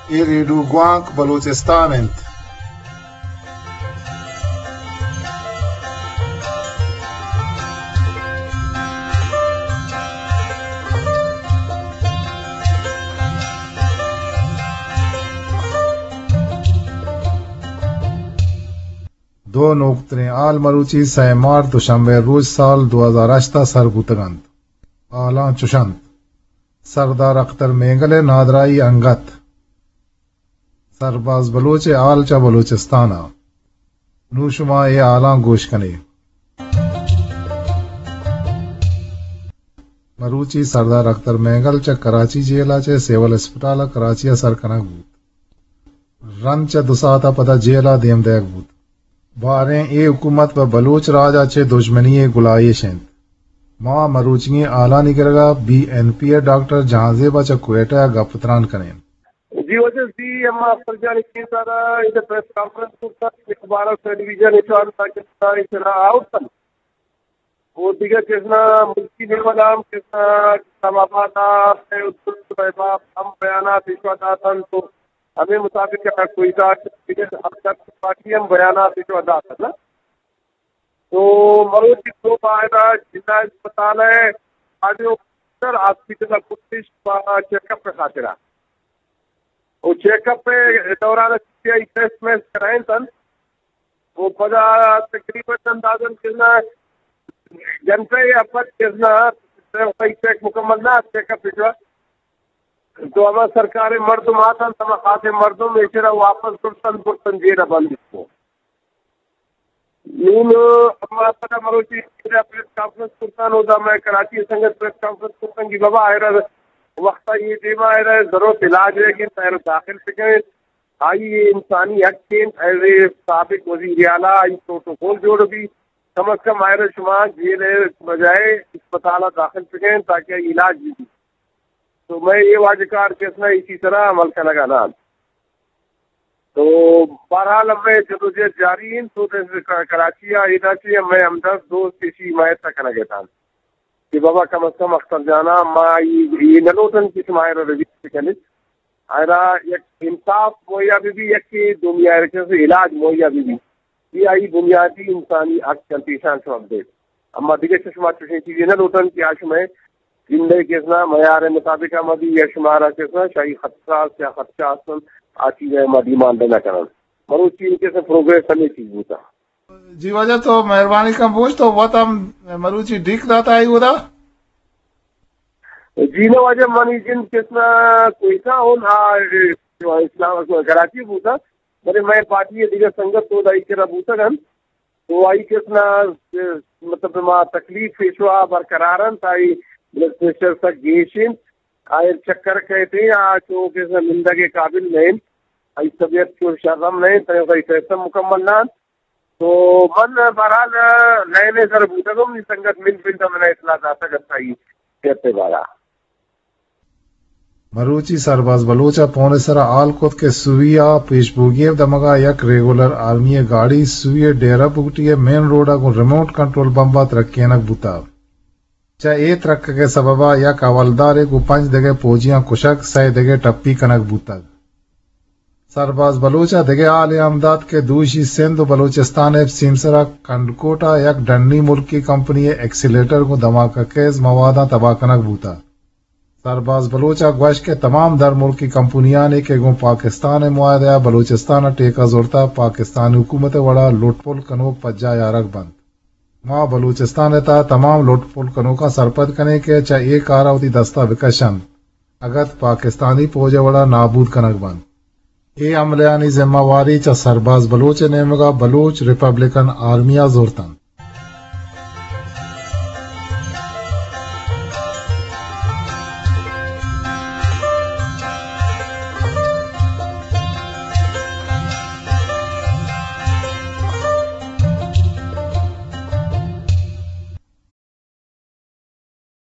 اے ریڈیو گوانک بلوچستان انت۔ دو نوکتریں ہال مروچی سئے مارچ دوشنبے روچ سال دو ہزار ہشت ء سر بوتگ انت۔ ہالاں چش انت۔ سردار اختر مینگل ء نادراہی انگت۔ سرباز بلوچ ء ہال چہ بلوچستان ء۔ نوں شما اے ہالاں گوش کن ئے۔ مروچی سردار اختر مینگل چہ کراچی جیل ء چہ سول اسپتال ء کراچی ء سر کنگ بوت۔ رند چہ دو ساعت ء پدا جیل ء دیم دئیگ بوت۔ باریں اے حکومت پہ بلوچ راج ء چہ دژمنی ء گلائیش انت۔ ما مروچیگیں ہالانی کرگا بی این پی ء ڈاکٹر جہانزیب ء چہ کوئٹہ ء گپ تران کنیں۔ جی واجہ، جی، اما اختر جان کی سارا ادھر پریس کانفرنس کرتا، اخبار سے ڈویژن ایچ آر تاکہ سارا اتنا آؤٹ تن۔ وہ دیگر کسنا ملکی لیول ہم کسنا اسلام آباد آ، ہے، اتنا ہم بیانات ایشوا داتن تو ہمیں مطابق کہ کوئٹہ ٹکٹ اب تک پارٹی ہم بیانات جو ادا کرنا۔ تو مروچی تو باہر ضلع اسپتال ہے، آج وہ سر ہاسپٹل کتش چیک اپ خاطرہ۔ وہ چیک اپ دوران ٹیسٹ میسٹ کرائیں تن۔ وہ پدا تقریباً اندازاً کتنا گھنٹہ یا پد کتنا چیک مکمل نہ چیک اپ جو تو ہما سرکار مردم آتن، ہما خاص مردم ایشرا واپس برتن، برتن جیل بند کو۔ نون ہما پدا مروچی پریس کانفرنس کرتن، او دا میں کراچی سنگت پریس کانفرنس کرتن کہ بابا آئرا وقتا یہ دیما آئرا ضرورت علاج ہے کہ آئرا داخل بکن۔ آئی یہ انسانی حق ہیں، ایز اے سابق وزیر اعلیٰ آئی پروٹوکول جوڑ بھی، کم از کم آئرا شما جیل بجائے اسپتال داخل بکن تاکہ علاج بھی۔ تو میں یہ واجہ کار کسنا اسی طرح عمل کنگا نہ۔ تو بہرحال ہمیں جدوجہد جاری ہیں، تو کراچی آ ایدا چی ہمیں ہمدرد دوست اسی حمایت کنگے تھا کہ بابا کم از کم اختر جانا ما یہ نہ لوٹن کہ شما آئرا ریلیز کنیت۔ آئرا یک انصاف مہیا بہ بی، یک دومی آئرا چہ علاج مہیا بہ بی۔ یہ آئی بنیادی انسانی حق کنت ایشان شما بدیت۔ اما دگہ چہ شما چوشیں چیزے نہ لوٹن کہ آ شمئے زندگی کسنا معیار مطابق ہم ابھی یا شمارا کسنا شاہی خدشہ است یا خدشہ استن، آ چیز ما ڈیمانڈ نہ کنن۔ مروچی کسنا پروگریس ہمیں چیز بوتا۔ جی واجہ تو مہربانی کن بوش تو وت ہم مروچی ڈیک داتا ہے ودا؟ جی نہ واجہ منی جند کسنا کوئٹہ ہوں، آ، اسلام کراچی بوتا، بلے میں پارٹی دیگر سنگت تو دائی کرا بوتا گن۔ تو آئی کسنا، مطلب، ما تکلیف پیشوا برقرار انت، آئی بلڈ پریشر سک گیش انت، آئی چکر کئیت، آ چو کسنا نندگ قابل نہ انت، آئی طبیعت چو شرم نہ انت، آئی ٹیسٹ ہم مکمل نہ انت۔ تو من بہرحال لائن سر بوتگم، نی سنگت من پنڈ من اطلاع داتگ ات آئی صحت بارا۔ مروچی سرباز بلوچ ء پون ء سرا ہال کت کہ سوئی ء پیشبوگی ء دمگ ء یک ریگولر آرمی ء گاڑی سوئی ء ڈیرہ بگٹی ء مین روڈ ء گوں ریموٹ کنٹرول بمب ء ترکینگ بوتگ۔ چہ اے ترکگ ء سبب ء یک حوالدارے گوں پنچ دگہ پوجیاں کشگ، سئے دگہ ٹپی کنگ بوتگ۔ سرباز بلوچ ء دگہ ہالے ہم دات کہ دوشی سندھ و بلوچستان ء سیمسر ء کنڈکوٹ ء یک ڈنی ملکی کمپنی ء ایکسیلیٹر گوں دھماکہ خیز مواداں تباہ کنگ بوتگ۔ سرباز بلوچ ء گوشت کہ تمام در ملکی کمپنیانی کہ گوں پاکستان ء معاہدہ ء بلوچستان ء ٹیکہ زرتہ، پاکستانی حکومت ء وڑا لٹ پل کنوک پجاہ آرگ بنت۔ ما بلوچستان ء تہا تمام لٹ پل کنوکاں سرپد کنیں کہ چہ اے کار ء وتی دست ء بکش انت، اگت پاکستانی پوج ء وڑا نابود کنگ بنت۔ اے حملہانی ذمہ واری چہ سرباز بلوچ ء نیمگ ء بلوچ ریپبلکن آرمی ء زرت انت۔